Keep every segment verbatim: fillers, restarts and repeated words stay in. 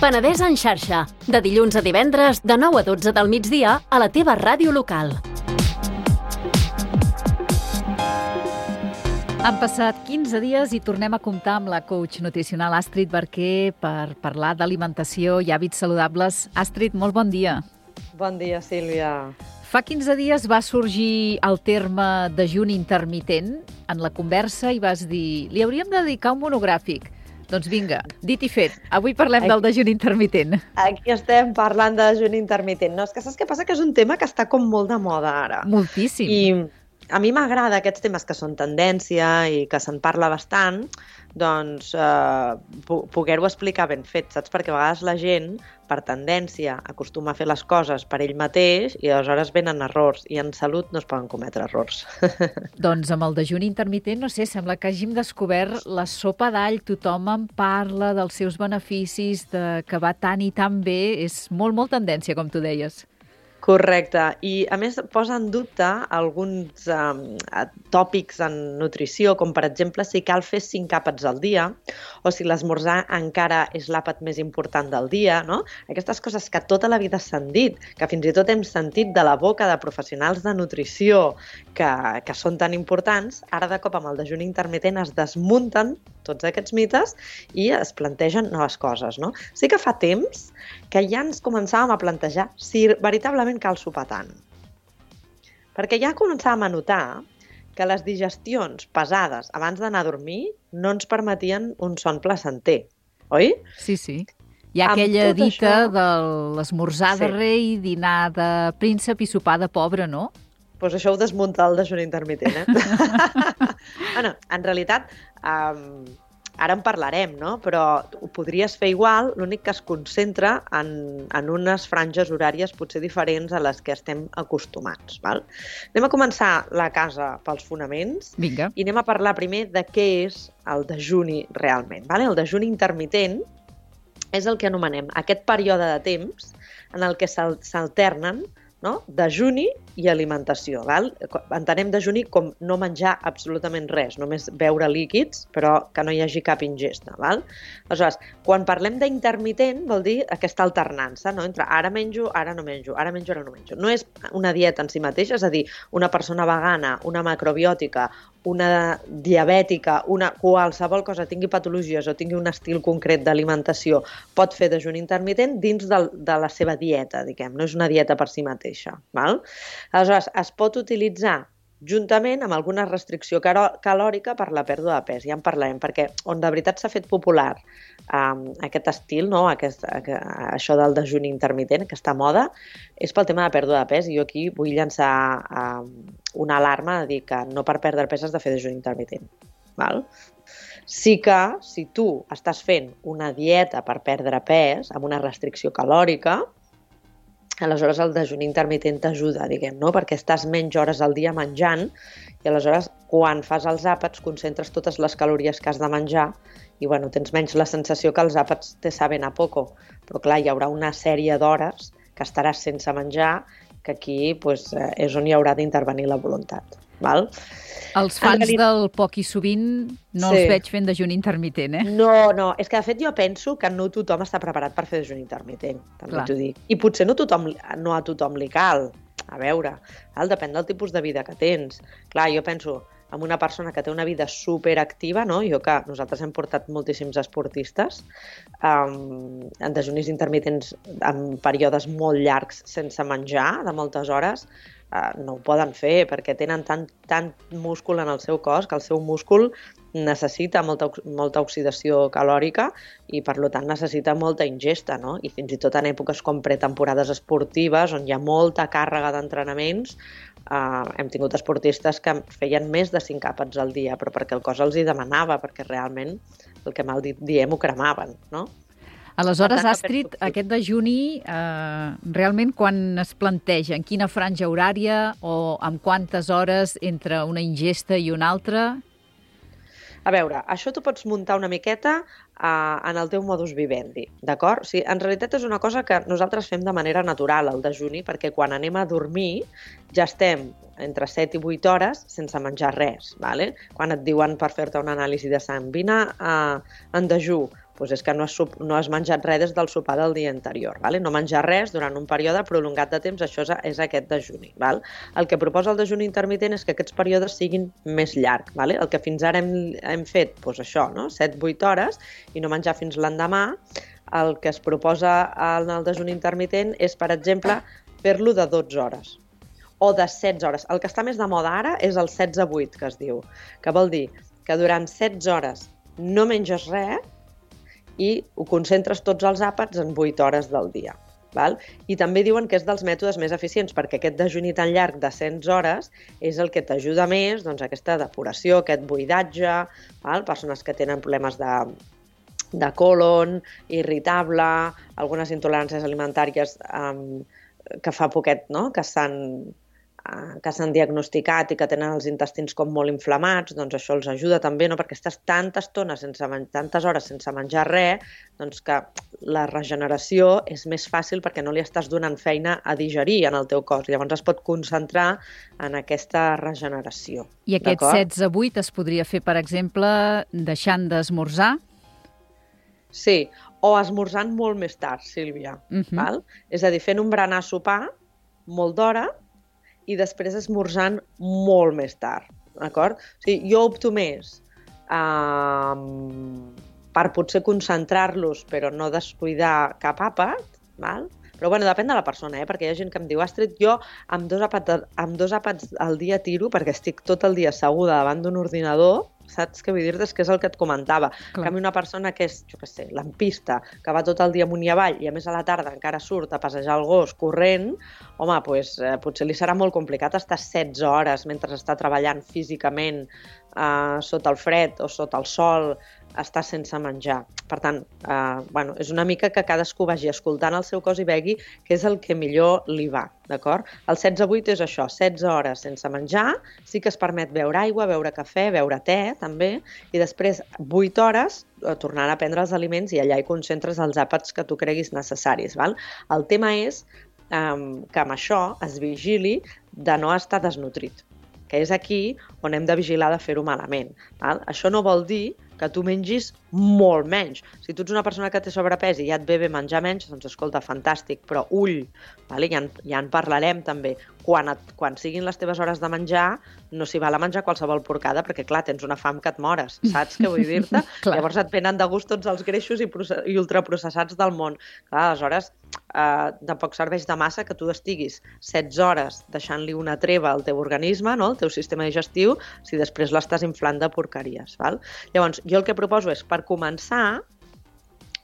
Penedès en xarxa, de dilluns a divendres, de nou a dotze del migdia, a la teva ràdio local. Han passat quinze dies i tornem a comptar amb la coach nutricional Astrid Barquer per parlar d'alimentació i hàbits saludables. Astrid, molt bon dia. Bon dia, Sílvia. Fa quinze dies va sorgir el terme dejuni intermitent en la conversa i vas dir li hauríem de dedicar un monogràfic. Doncs vinga, dit i fet, avui parlem aquí, del dejuni intermitent. Aquí estem parlant de dejuni intermitent. No, és que saps què passa? Que és un tema que està com molt de moda ara. Moltíssim. I a mi m'agrada aquests temes que són tendència i que se'n parla bastant, doncs eh, poder-ho explicar ben fet, saps? Perquè a vegades la gent, per tendència, acostuma a fer les coses per ell mateix i aleshores venen errors i en salut no es poden cometre errors. Doncs amb el dejuni intermitent, no sé, sembla que hàgim descobert la sopa d'all, tothom en parla dels seus beneficis, de que va tan i tan bé, és molt, molt tendència, com tu deies. Correcte. I, a més, posa en dubte alguns um, tòpics en nutrició, com, per exemple, si cal fer cinc àpats al dia o si l'esmorzar encara és l'àpat més important del dia, no? Aquestes coses que tota la vida s'han dit, que fins i tot hem sentit de la boca de professionals de nutrició que, que són tan importants, ara de cop amb el dejuni intermitent es desmunten tots aquests mites i es plantegen noves coses, no? Sí que fa temps que ja ens començàvem a plantejar si veritablement cal sopar tant. Perquè ja començàvem a notar que les digestions pesades abans d'anar a dormir no ens permetien un son placenter, oi? Sí, sí. Hi ha aquella dita això... de l'esmorzar de sí. rei, dinar de príncep i sopar de pobre, no? Doncs pues això ho desmunta el dejuni intermitent, eh? Bueno, en realitat, um, ara en parlarem, no? Però ho podries fer igual, l'únic que es concentra en, en unes franges horàries potser diferents a les que estem acostumats, val? Anem a començar la casa pels fonaments. Vinga. I anem a parlar primer de què és el dejuni realment, vale? El dejuni intermitent és el que anomenem aquest període de temps en el que s'alternen, no? Dejuni i alimentació. Val? Entenem dejuni com no menjar absolutament res, només beure líquids, però que no hi hagi cap ingesta. Val? Aleshores, quan parlem d'intermitent, vol dir aquesta alternança, no? Entre ara menjo, ara no menjo, ara menjo, ara no menjo. No és una dieta en si mateixa, és a dir, una persona vegana, una macrobiòtica, una diabètica, una qualsevol cosa, tingui patologies o tingui un estil concret d'alimentació, pot fer dejuni intermitent dins de, de la seva dieta, diguem. No és una dieta per si mateixa. Val? Aleshores, es pot utilitzar juntament amb alguna restricció calòrica per la pèrdua de pes. Ja en parlarem, perquè on de veritat s'ha fet popular um, aquest estil, no? aquest, això del dejuni intermitent, aquesta moda, és pel tema de pèrdua de pes. I jo aquí vull llançar um, una alarma de dir que no per perdre pes has de fer dejuni intermitent. Val? Sí que, si tu estàs fent una dieta per perdre pes amb una restricció calòrica, aleshores el dejuni intermitent t'ajuda, diguem, no? Perquè estàs menys hores al dia menjant i aleshores quan fas els àpats concentres totes les calories que has de menjar i bueno, tens menys la sensació que els àpats te saben a poco. Però clar, hi haurà una sèrie d'hores que estaràs sense menjar que aquí pues, és on hi haurà d'intervenir la voluntat. Val? Els fans realitat... del poc i sovint no sí. els veig fent dejuni intermitent, eh? No, no, és que de fet jo penso que no tothom està preparat per fer dejuni intermitent, també t'ho dic. I potser no, tothom, no a tothom li cal, a veure, val? Depèn del tipus de vida que tens. Clar, jo penso en una persona que té una vida superactiva, no? Jo que nosaltres hem portat moltíssims esportistes um, en dejunis intermitents en períodes molt llargs sense menjar, de moltes hores, Uh, no ho poden fer perquè tenen tant, tant múscul en el seu cos que el seu múscul necessita molta, molta oxidació calòrica i per tant necessita molta ingesta, no? I fins i tot en èpoques com pretemporades esportives on hi ha molta càrrega d'entrenaments uh, hem tingut esportistes que feien més de cinc àpats al dia però perquè el cos els hi demanava, perquè realment el que mal dit diem ho cremaven, no? Aleshores, Astrid, aquest dejuni, eh, realment quan es planteja, en quina franja horària o amb quantes hores entre una ingesta i una altra? A veure, això t'ho pots muntar una miqueta eh, en el teu modus vivendi, d'acord? O sigui, en realitat és una cosa que nosaltres fem de manera natural, el dejuni, perquè quan anem a dormir ja estem entre set i vuit hores sense menjar res, vale? Quan et diuen per fer-te una anàlisi de sang, vine eh, en dejú, Doncs és que no has, no has menjat res des del sopar del dia anterior. Vale? No menjar res durant un període prolongat de temps, això és, és aquest dejuni. Val? El que proposa el dejuni intermitent és que aquests períodes siguin més llargs. Vale? El que fins ara hem, hem fet, doncs això, no? set vuit hores, i no menjar fins l'endemà. El que es proposa en el dejuni intermitent és, per exemple, fer-lo de dotze hores o de setze hores. El que està més de moda ara és el setze vuit, que es diu, que vol dir que durant setze hores no menges res i ho concentres tots els àpats en vuit hores del dia. Val? I també diuen que és dels mètodes més eficients, perquè aquest dejuni tan llarg de setze hores és el que t'ajuda més, doncs, aquesta depuració, aquest buidatge, val? Persones que tenen problemes de, de colon, irritable, algunes intoleràncies alimentàries um, que fa poquet, no? que s'han que s'han diagnosticat i que tenen els intestins com molt inflamats, doncs això els ajuda també, no? Perquè estàs tanta estona, sense tantes hores sense menjar res, doncs que la regeneració és més fàcil perquè no li estàs donant feina a digerir en el teu cos. Llavors es pot concentrar en aquesta regeneració. I aquest setze vuit es podria fer, per exemple, deixant d'esmorzar? Sí, o esmorzant molt més tard, Sílvia. Uh-huh. Val? És a dir, fent un berenar sopar molt d'hora i després esmorzant molt més tard, d'acord? O sigui, jo opto més eh, per potser concentrar-los però no descuidar cap àpat, val? Però bueno, depèn de la persona, eh? Perquè hi ha gent que em diu, Astrid, jo amb dos àpats, amb dos àpats al dia tiro perquè estic tot el dia asseguda davant d'un ordinador, saps què vull dir-te? És que és el que et comentava. En canvi, una persona que és, jo què sé, lampista, que va tot el dia amunt i avall i a més a la tarda encara surt a passejar el gos corrent, home, doncs, eh, potser li serà molt complicat estar setze hores mentre està treballant físicament eh, sota el fred o sota el sol, estar sense menjar. Per tant, eh, bueno, és una mica que cadascú vagi escoltant el seu cos i vegi què és el que millor li va, d'acord? El setze vuit és això, setze hores sense menjar, sí que es permet beure aigua, beure cafè, beure te, també, i després vuit hores tornant a prendre els aliments i allà hi concentres els àpats que tu creguis necessaris. Val? El tema és um, que amb això es vigili de no estar desnutrit, que és aquí on hem de vigilar de fer-ho malament. Val? Això no vol dir que tu mengis molt menys. Si tu ets una persona que té sobrepès i ja et ve bé menjar menys, doncs escolta, fantàstic, però ull, vale? ja, en, ja en parlarem també. Quan, et, quan siguin les teves hores de menjar, no s'hi val a menjar qualsevol porcada, perquè clar, tens una fam que et mores, saps què vull dir-te? Llavors et venen de gust tots els greixos i, i ultraprocessats del món. Clar, aleshores, eh, tampoc serveix de massa que tu estiguis setze hores deixant-li una treva al teu organisme, no? Al teu sistema digestiu, si després l'estàs inflant de porqueries. Val? Llavors, jo el que proposo és, per començar,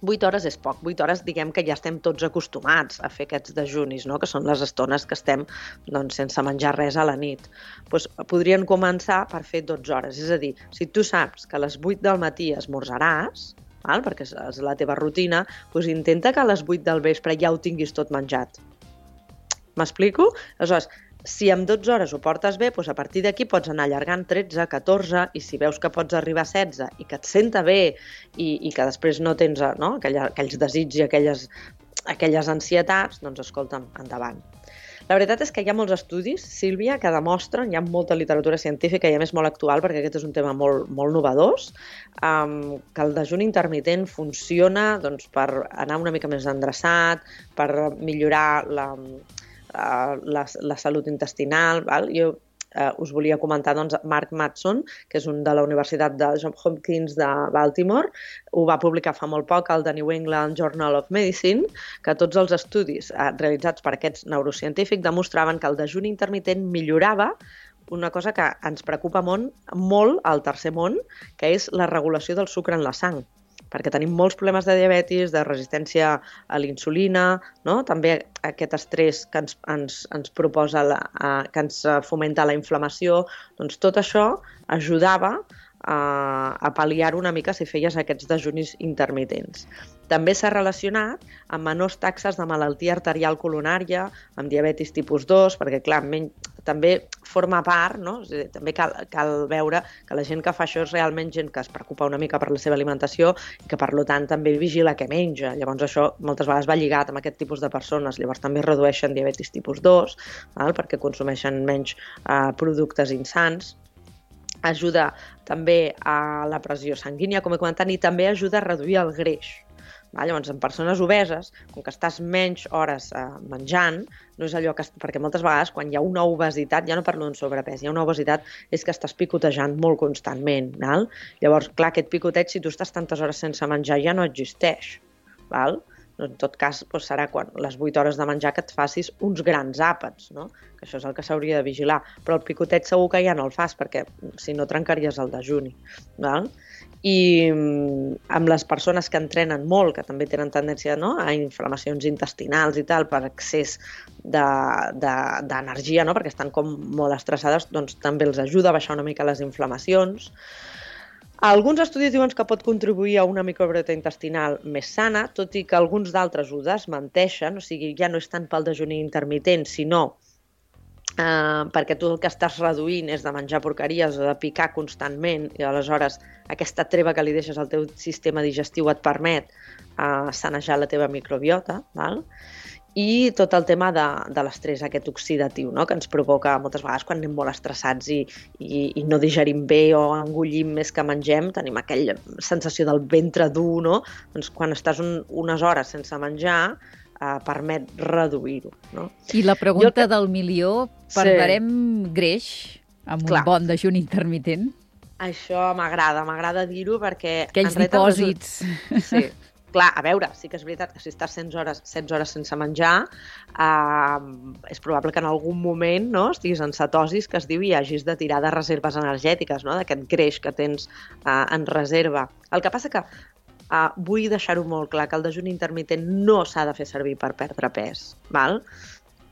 vuit hores és poc. vuit hores, diguem que ja estem tots acostumats a fer aquests dejunis, no? Que són les estones que estem doncs, sense menjar res a la nit. Doncs podrien començar per fer dotze hores. És a dir, si tu saps que a les vuit del matí esmorzaràs, val? Perquè és la teva rutina, doncs intenta que a les vuit del vespre ja ho tinguis tot menjat. M'explico? Aleshores, si amb dotze hores ho portes bé, doncs a partir d'aquí pots anar allargant tretze, catorze, i si veus que pots arribar a setze i que et senta bé i, i que després no tens no, aquella, aquells desigs i aquelles, aquelles ansietats, doncs escolta'm, endavant. La veritat és que hi ha molts estudis, Sílvia, que demostren, hi ha molta literatura científica i a més molt actual, perquè aquest és un tema molt, molt novedós, um, que el dejuni intermitent funciona doncs, per anar una mica més endreçat, per millorar la... La, la salut intestinal. Val? Jo eh, us volia comentar doncs, Mark Mattson, que és un de la Universitat de Johns Hopkins de Baltimore, ho va publicar fa molt poc al The New England Journal of Medicine, que tots els estudis eh, realitzats per aquests neurocientífics demostraven que el dejuni intermitent millorava una cosa que ens preocupa molt, molt al tercer món, que és la regulació del sucre en la sang, perquè tenim molts problemes de diabetis, de resistència a l'insulina, no? També aquest estrès que ens, ens, ens proposa, la, uh, que ens fomenta la inflamació, doncs tot això ajudava a, a pal·liar una mica si feies aquests dejunis intermitents. També s'ha relacionat amb menors taxes de malaltia arterial coronària, amb diabetis tipus dos, perquè clar, menys, també forma part, no? També cal, cal veure que la gent que fa això és realment gent que es preocupa una mica per la seva alimentació i que per tant també vigila què menja. Llavors això moltes vegades va lligat amb aquest tipus de persones, llavors també redueixen diabetis tipus dos, val? Perquè consumeixen menys eh, productes insans. ajuda també a la pressió sanguínia, com he comentat, i també ajuda a reduir el greix. Va? Llavors, en persones obeses, com que estàs menys hores eh, menjant, no és allò que... Perquè moltes vegades, quan hi ha una obesitat, ja no parlo d'un sobrepès, hi ha una obesitat, és que estàs picotejant molt constantment. Val? Llavors, clar, aquest picoteig, si tu estàs tantes hores sense menjar, ja no existeix. Val? En tot cas, doncs serà quan les vuit hores de menjar que et facis uns grans àpats, no? Que això és el que s'hauria de vigilar. Però el picotet segur que ja no el fas, perquè si no trencaries el dejuni. Val? I amb les persones que entrenen molt, que també tenen tendència, no?, a inflamacions intestinals i tal, per excés d'energia, de, de, no?, perquè estan com molt estressades, doncs també els ajuda a baixar una mica les inflamacions. Alguns estudis diuen que pot contribuir a una microbiota intestinal més sana, tot i que alguns d'altres ho desmenteixen, o sigui, ja no és tant pel dejuni intermitent, sinó eh, perquè tu el que estàs reduint és de menjar porqueries o de picar constantment, i aleshores aquesta treva que li deixes al teu sistema digestiu et permet eh, sanejar la teva microbiota, val? I tot el tema de, de l'estrès aquest oxidatiu, no?, que ens provoca moltes vegades quan anem molt estressats i, i, i no digerim bé o engullim més que mengem, tenim aquella sensació del ventre dur, no? Doncs quan estàs un, unes hores sense menjar eh, permet reduir-ho, no? I la pregunta que... del milió, perdrem sí. greix amb Clar. un bon dejuni intermitent? Això m'agrada, m'agrada dir-ho perquè... Aquells dipòsits. Sí. Clar, a veure, sí que és veritat que si estàs setze hores, setze hores sense menjar, eh, és probable que en algun moment, no?, estiguis en cetosis, que es diu, i hagis de tirar de reserves energètiques, no?, d'aquest greix que tens eh, en reserva. El que passa que eh, vull deixar-ho molt clar, que el dejuni intermitent no s'ha de fer servir per perdre pes, val?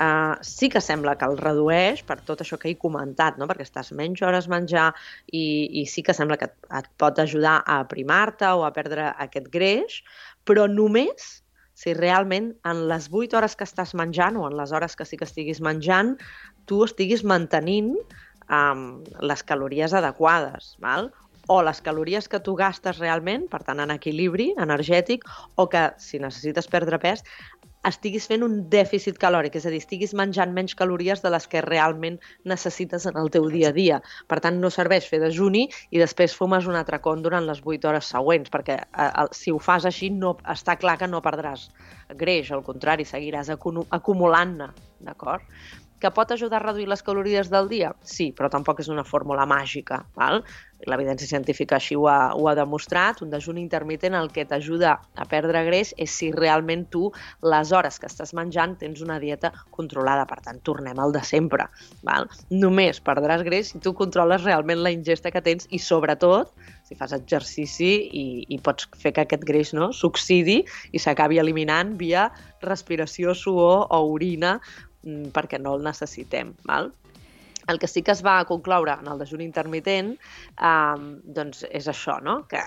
Uh, sí que sembla que el redueix per tot això que he comentat, no? Perquè estàs menys hores menjar i, i sí que sembla que et, et pot ajudar a aprimar-te o a perdre aquest greix, però només si realment en les vuit hores que estàs menjant o en les hores que sí que estiguis menjant, tu estiguis mantenint um, les calories adequades, val? O les calories que tu gastes realment, per tant en equilibri energètic, o que si necessites perdre pes, estiguis fent un dèficit calòric, és a dir, estiguis menjant menys calories de les que realment necessites en el teu dia a dia. Per tant, no serveix fer dejuni i després fumes un atracón durant les vuit hores següents, perquè eh, si ho fas així no, està clar que no perdràs greix, al contrari, seguiràs acumulant-ne, d'acord? Que pot ajudar a reduir les calories del dia? Sí, però tampoc és una fórmula màgica, val? L'evidència científica així ho ha, ho ha demostrat. Un dejuni intermitent el que t'ajuda a perdre greix és si realment tu, les hores que estàs menjant, tens una dieta controlada. Per tant, tornem al de sempre, val? Només perdràs greix si tu controles realment la ingesta que tens i, sobretot, si fas exercici i, i pots fer que aquest greix, no?, s'oxidi i s'acabi eliminant via respiració, suor o orina, perquè no el necessitem, val? El que sí que es va concloure en el dejuni intermitent eh, doncs és això, no?, que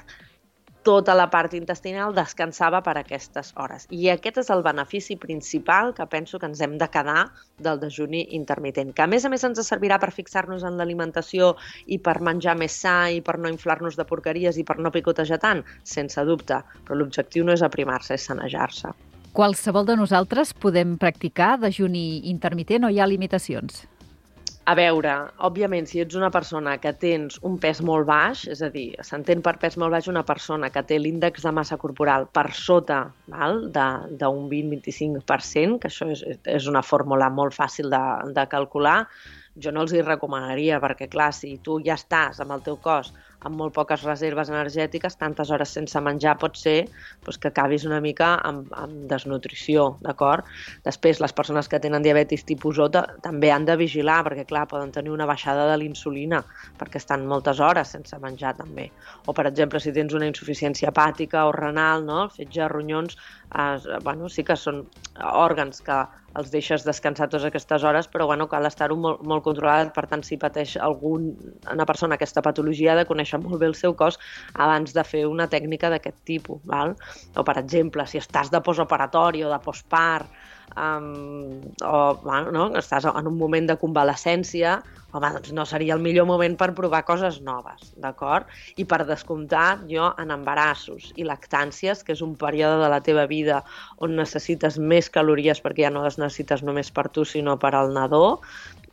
tota la part intestinal descansava per aquestes hores. I aquest és el benefici principal que penso que ens hem de quedar del dejuni intermitent, que a més a més ens servirà per fixar-nos en l'alimentació i per menjar més sa i per no inflar-nos de porqueries i per no picotejar tant, sense dubte, però l'objectiu no és aprimar-se, és sanejar-se. Qualsevol de nosaltres podem practicar dejuni intermitent o hi ha limitacions? A veure, òbviament, si ets una persona que tens un pes molt baix, és a dir, s'entén per pes molt baix una persona que té l'índex de massa corporal per sota, val, d'un vint a vint-i-cinc per cent, que això és, és una fórmula molt fàcil de, de calcular, jo no els hi recomanaria, perquè clar, si tu ja estàs amb el teu cos amb molt poques reserves energètiques, tantes hores sense menjar pot ser doncs, que acabis una mica amb, amb desnutrició, d'acord? Després, les persones que tenen diabetis tipus O també han de vigilar, perquè clar, poden tenir una baixada de l'insulina, perquè estan moltes hores sense menjar també. O, per exemple, si tens una insuficiència hepàtica o renal, no?, el fetge de ronyons, eh, bueno, sí que són òrgans que els deixes descansar totes aquestes hores, però bueno, cal estar-ho molt, molt controlat. Per tant, si pateix algun, una persona aquesta patologia, ha de conèixer molt bé el seu cos abans de fer una tècnica d'aquest tipus. Val? O, per exemple, si estàs de postoperatori o de postpart, um, o bueno, no? estàs en un moment de convalescència, home, doncs no seria el millor moment per provar coses noves, d'acord? I per descomptat, jo en embarassos i lactàncies, que és un període de la teva vida on necessites més calories perquè ja no les necessites només per tu, sinó per al nadó,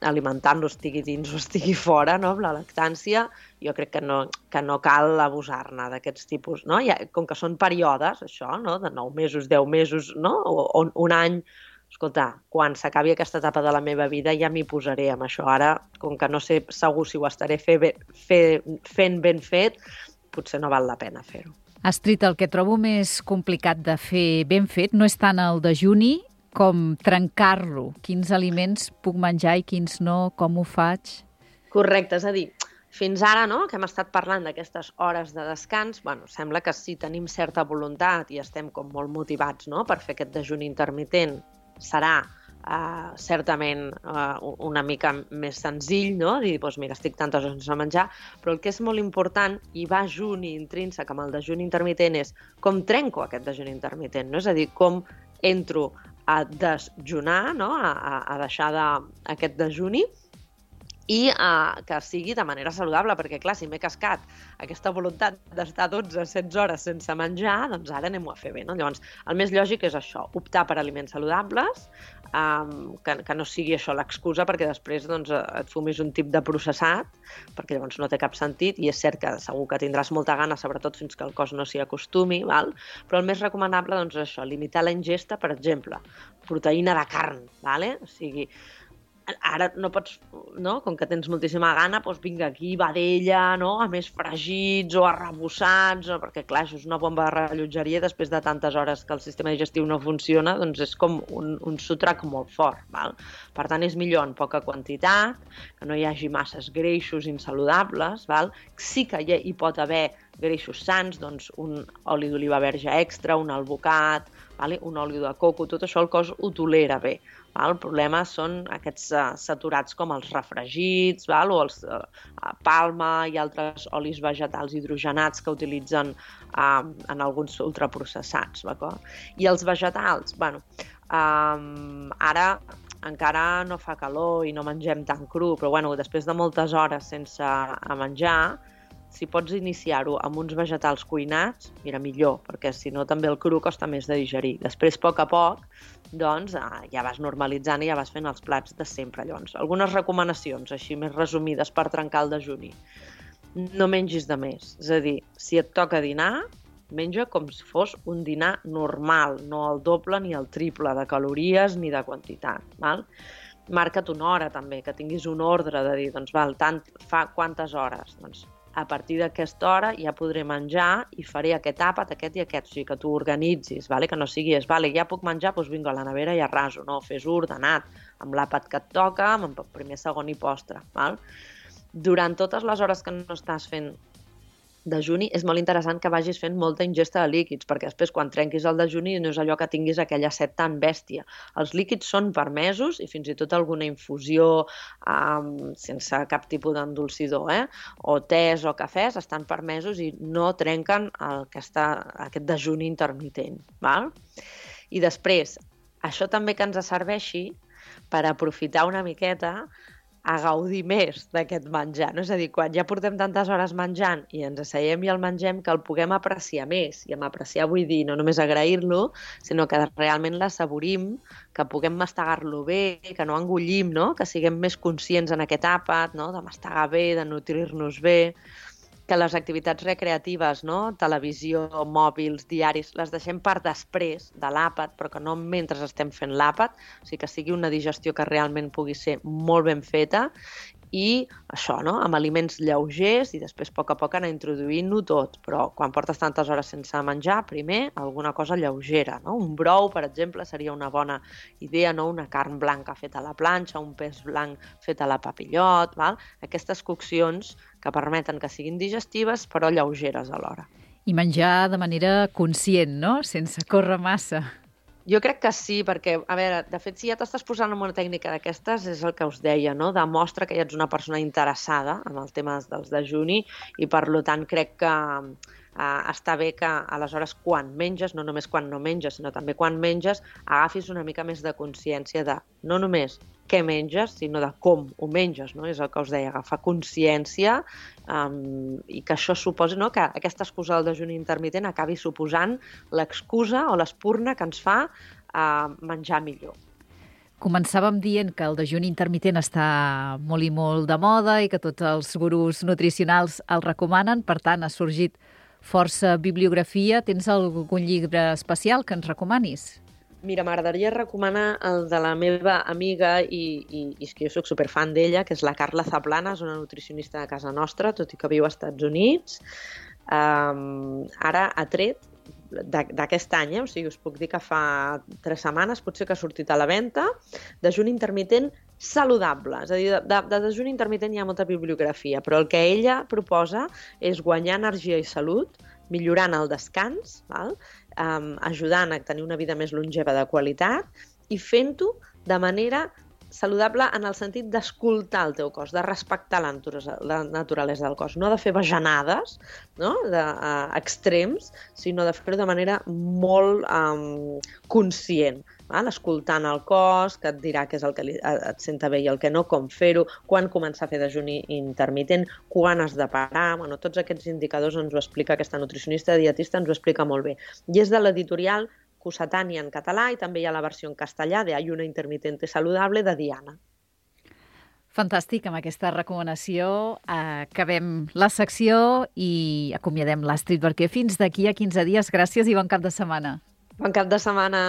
alimentant-lo estigui dins o estigui fora, no? Amb la lactància, jo crec que no, que no cal abusar-ne d'aquests tipus, no? Ja, com que són períodes, això, no? De nou mesos, deu mesos, no? O, o un any. Escolta, quan s'acabi aquesta etapa de la meva vida ja m'hi posaré amb això. Ara, com que no sé segur si ho estaré fe, fe, fent ben fet, potser no val la pena fer-ho. Astrid, el que trobo més complicat de fer ben fet no és tant el dejuni com trencar-lo. Quins aliments puc menjar i quins no, com ho faig? Correcte, és a dir, fins ara, no?, que hem estat parlant d'aquestes hores de descans, bueno, sembla que si tenim certa voluntat i estem com molt motivats, no?, per fer aquest dejuni intermitent, serà uh, certament uh, una mica més senzill, no?, dir, doncs mira, estic tantes hores sense menjar, però el que és molt important, i va junt i intrínsec amb el dejuni intermitent, és com trenco aquest dejuni intermitent, no? És a dir, com entro a desjunar, no?, a, a, a deixar de, aquest dejuni, i uh, que sigui de manera saludable, perquè clar, si m'he cascat aquesta voluntat d'estar dotze setze hores sense menjar, doncs ara anem-ho a fer bé, no? Llavors, el més lògic és això, optar per aliments saludables, um, que, que no sigui això l'excusa perquè després doncs, et fumis un tip de processat, perquè llavors no té cap sentit, i és cert que segur que tindràs molta gana, sobretot fins que el cos no s'hi acostumi, val? Però el més recomanable doncs, és això, limitar la ingesta, per exemple, proteïna de carn, vale? O sigui, ara no pots, no? Com que tens moltíssima gana, doncs vinga aquí, vedella, no? A més fregits o arrebossats, o... perquè clar, això és una bomba de rellotgeria, després de tantes hores que el sistema digestiu no funciona, doncs és com un, un sotrac molt fort, val? Per tant, és millor en poca quantitat, que no hi hagi masses greixos insaludables, val? Sí que hi, hi pot haver greixos sans, doncs un oli d'oliva verge extra, un albocat, vale? Un oli de coco, tot això el cos ho tolera bé. Val? El problema són aquests uh, saturats com els refregits, val? O els uh, palma i altres olis vegetals hidrogenats que utilitzen uh, en alguns ultraprocessats. D'acord? I els vegetals, bueno, um, ara encara no fa calor i no mengem tan cru, però bueno, després de moltes hores sense menjar, si pots iniciar-ho amb uns vegetals cuinats, mira, millor, perquè si no també el cru costa més de digerir. Després, a poc a poc, doncs ja vas normalitzant i ja vas fent els plats de sempre. Llavors, algunes recomanacions, així més resumides per trencar el dejuni. No mengis de més, és a dir, si et toca dinar, menja com si fos un dinar normal, no el doble ni el triple de calories ni de quantitat, val? Marca't una hora també, que tinguis un ordre de dir, doncs val, tant fa quantes hores, doncs a partir d'aquesta hora ja podré menjar i faré aquest àpat, aquest i aquest, o sigui que tu organitzis, vale? Que no siguis, vale, ja puc menjar, doncs vinga, a la nevera i arraso, no, fes-ho ordenat, amb l'àpat que et toca, amb primer, segon i postre, val? Durant totes les hores que no estàs fent dejuni, és molt interessant que vagis fent molta ingesta de líquids, perquè després quan trenquis el dejuni no és allò que tinguis aquella set tan bèstia. Els líquids són permesos i fins i tot alguna infusió um, sense cap tipus d'endolcidor, eh? O tés o cafès estan permesos i no trenquen el que està, aquest dejuni intermitent. Val? I després, això també que ens serveixi per aprofitar una miqueta a gaudir més d'aquest menjar, no? És a dir, quan ja portem tantes hores menjant i ens asseiem i el mengem, que el puguem apreciar més. I amb apreciar vull dir no només agrair-lo, sinó que realment l'assaborim, que puguem mastegar-lo bé, que no engullim, no? Que siguem més conscients en aquest àpat, no? De mastegar bé, de nutrir-nos bé, que les activitats recreatives, no? Televisió, mòbils, diaris, les deixem per després de l'àpat, però que no mentre estem fent l'àpat, o sigui que sigui una digestió que realment pugui ser molt ben feta i això, no? Amb aliments lleugers i després a poc a poc anar introduint-ho tot, però quan portes tantes hores sense menjar, primer alguna cosa lleugera, no? Un brou, per exemple, seria una bona idea, no? Una carn blanca feta a la planxa, un peix blanc fet a la papillot, val? Aquestes coccions que permeten que siguin digestives però lleugeres alhora. I menjar de manera conscient, no? Sense córrer massa. Jo crec que sí, perquè, a veure, de fet, si ja t'estàs posant en una tècnica d'aquestes, és el que us deia, no? Demostra que ja ets una persona interessada en el tema dels dejuni i, per tant, crec que eh, està bé que, aleshores, quan menges, no només quan no menges, sinó també quan menges, agafis una mica més de consciència de no només què menges, sinó de com ho menges, no? És el que us deia, agafar consciència um, i que això suposi, no? Que aquesta excusa del dejuni intermitent acabi suposant l'excusa o l'espurna que ens fa uh, menjar millor. Començàvem dient que el dejuni intermitent està molt i molt de moda i que tots els gurus nutricionals el recomanen, per tant ha sorgit força bibliografia. Tens algun llibre especial que ens recomanis? Mira, m'agradaria recomanar el de la meva amiga i, i, i és que jo soc superfan d'ella, que és la Carla Zaplana, és una nutricionista de casa nostra, tot i que viu als Estats Units. Um, ara ha tret d'aquest any, eh? O sigui, us puc dir que fa tres setmanes potser que ha sortit a la venda, dejuni intermitent saludable. És a dir, de, de dejuni intermitent hi ha molta bibliografia, però el que ella proposa és guanyar energia i salut, millorant el descans, val? Um, ajudant a tenir una vida més longeva de qualitat i fent-ho de manera saludable en el sentit d'escoltar el teu cos, de respectar la naturalesa del cos, no de fer bajanades, no? de, uh, extrems, sinó de fer-ho de manera molt um, conscient, val? Escoltant el cos, que et dirà què és el que li, et senta bé i el que no, com fer-ho, quan començar a fer dejuni intermitent, quan has de parar, bueno, tots aquests indicadors ens ho explica aquesta nutricionista dietista, ens ho explica molt bé. I és de l'editorial Cossetània en català i també hi ha la versió en castellà de Ayuno Intermitente Saludable de Diana. Fantàstic, amb aquesta recomanació acabem la secció i acomiadem l'Astrid Barquer fins d'aquí a quinze dies. Gràcies i bon cap de setmana. Bon cap de setmana.